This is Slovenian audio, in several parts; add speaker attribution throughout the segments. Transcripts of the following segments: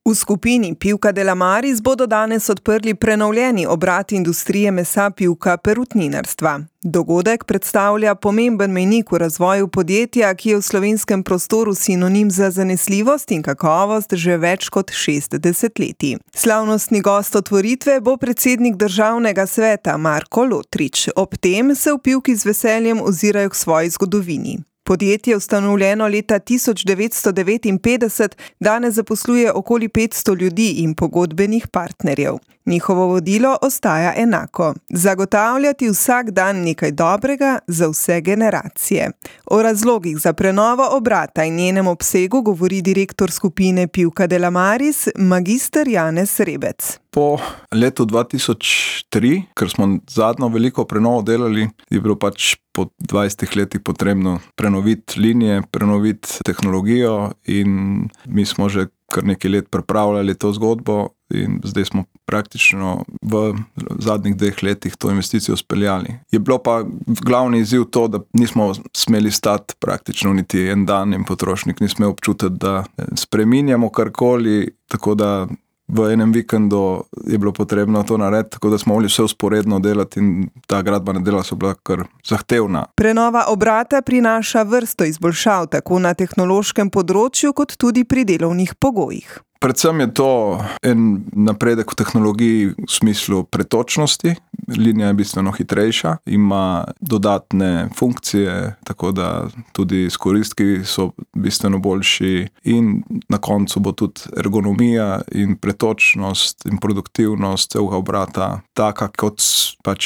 Speaker 1: V skupini Pivka Delamaris bodo danes odprli prenovljeni obrat industrije mesa pivka perutninarstva. Dogodek predstavlja pomemben mejnik v razvoju podjetja, ki je v slovenskem prostoru sinonim za zanesljivost in kakovost že več kot 6 desetletij. Slavnostni gost otvoritve bo predsednik državnega sveta Marko Lotrič. Ob tem se v Pivki z veseljem ozirajo k svoji zgodovini. Podjetje, ustanovljeno leta 1959, danes zaposluje okoli 500 ljudi in pogodbenih partnerjev. Njihovo vodilo ostaja enako: zagotavljati vsak dan nekaj dobrega za vse generacije. O razlogih za prenovo obrata in njenem obsegu govori direktor skupine Pivka Delamaris, magister Janez Rebec.
Speaker 2: Po letu 2003, ker smo zadnjo veliko prenovo delali, je bilo po 20 letih potrebno prenoviti linije, prenoviti tehnologijo in mi smo že kar nekaj let pripravljali to zgodbo in zdaj smo praktično v zadnjih 2 letih to investicijo speljali. Je bilo pa glavni izziv to, da nismo smeli stati praktično niti en dan in potrošnik ni smel občutiti, da spreminjamo karkoli, tako da v enem vikendu je bilo potrebno to narediti, tako da smo mogli vse usporedno delati in ta gradbena dela so bila kar zahtevna.
Speaker 1: Prenova obrata prinaša vrsto izboljšav tako na tehnološkem področju kot tudi pri delovnih pogojih.
Speaker 2: Predvsem je to en napredek v tehnologiji v smislu pretočnosti. Linija je bistveno hitrejša, ima dodatne funkcije, tako da tudi izkoristki so bistveno boljši in na koncu bo tudi ergonomija in pretočnost in produktivnost celega obrata taka, kot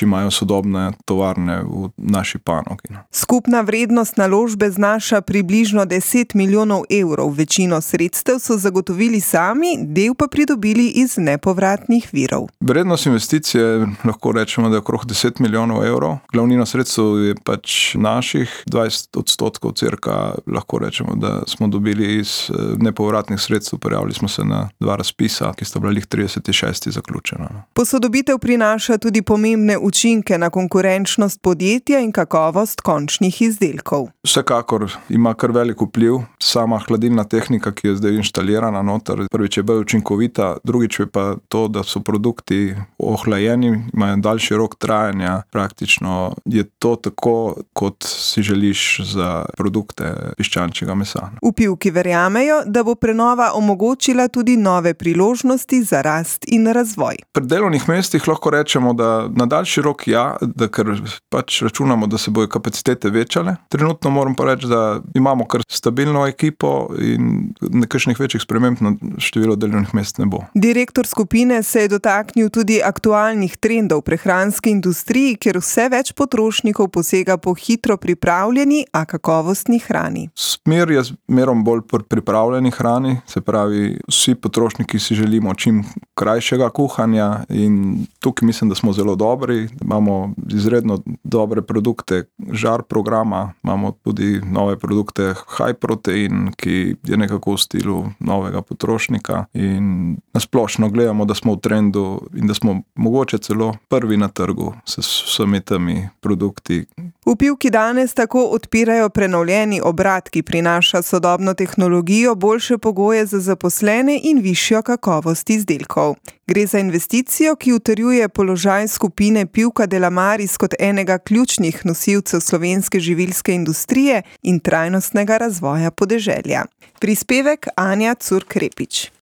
Speaker 2: imajo sodobne tovarne v naši panogi.
Speaker 1: Skupna vrednost naložbe znaša približno 10 milijonov evrov. Večino sredstev so zagotovili sami, del pa pridobili iz nepovratnih virov.
Speaker 2: Vrednost investicije lahko rečemo, da je okrog 10 milijonov evrov. Glavnina sredstev je naših, 20% cirka lahko rečemo, da smo dobili iz nepovratnih sredstev. Prijavili smo se na 2 razpisa, ki sta bila 36. zaključena.
Speaker 1: Posodobitev prinaša tudi pomembne učinke na konkurenčnost podjetja in kakovost končnih izdelkov.
Speaker 2: Vsekakor ima kar velik vpliv sama hladilna tehnika, ki je zdaj inštalirana noter. Prvič je bolj učinkovita, drugič je pa to, da so produkti ohlajeni, imajo daljši rok trajanja. Praktično je to tako, kot si želiš za produkte piščančjega mesa.
Speaker 1: V Pivki verjamejo, da bo prenova omogočila tudi nove priložnosti za rast in razvoj.
Speaker 2: Pri delovnih mestih lahko rečemo, da na daljši rok da ker računamo, da se bojo kapacitete večale. Trenutno moram pa reči, da imamo kar stabilno ekipo in nekakšnih večjih sprememb na število delovnih mest ne bo.
Speaker 1: Direktor skupine se je dotaknil tudi aktualnih trendov v prehranski industriji, kjer vse več potrošnikov posega po hitro pripravljeni, a kakovostni hrani.
Speaker 2: Smer je zmerom bolj pripravljeni hrani, se pravi, vsi potrošniki si želimo čim krajšega kuhanja in tukaj mislim, da smo zelo dobri. Imamo izredno dobre produkte žar programa, imamo tudi nove produkte high protein, ki je nekako v stilu novega potrošnika in nasplošno gledamo, da smo v trendu in da smo mogoče celo prvi na trgu s vsemi temi produkti.
Speaker 1: V Pivki danes tako odpirajo prenovljeni obrat, ki prinaša sodobno tehnologijo, boljše pogoje za zaposlene in višjo kakovost izdelkov. Gre za investicijo, ki utrjuje položaj skupine Pivka Delamaris kot enega ključnih nosilcev slovenske živilske industrije in trajnostnega razvoja podeželja. Prispevek Anja Curk-Repič.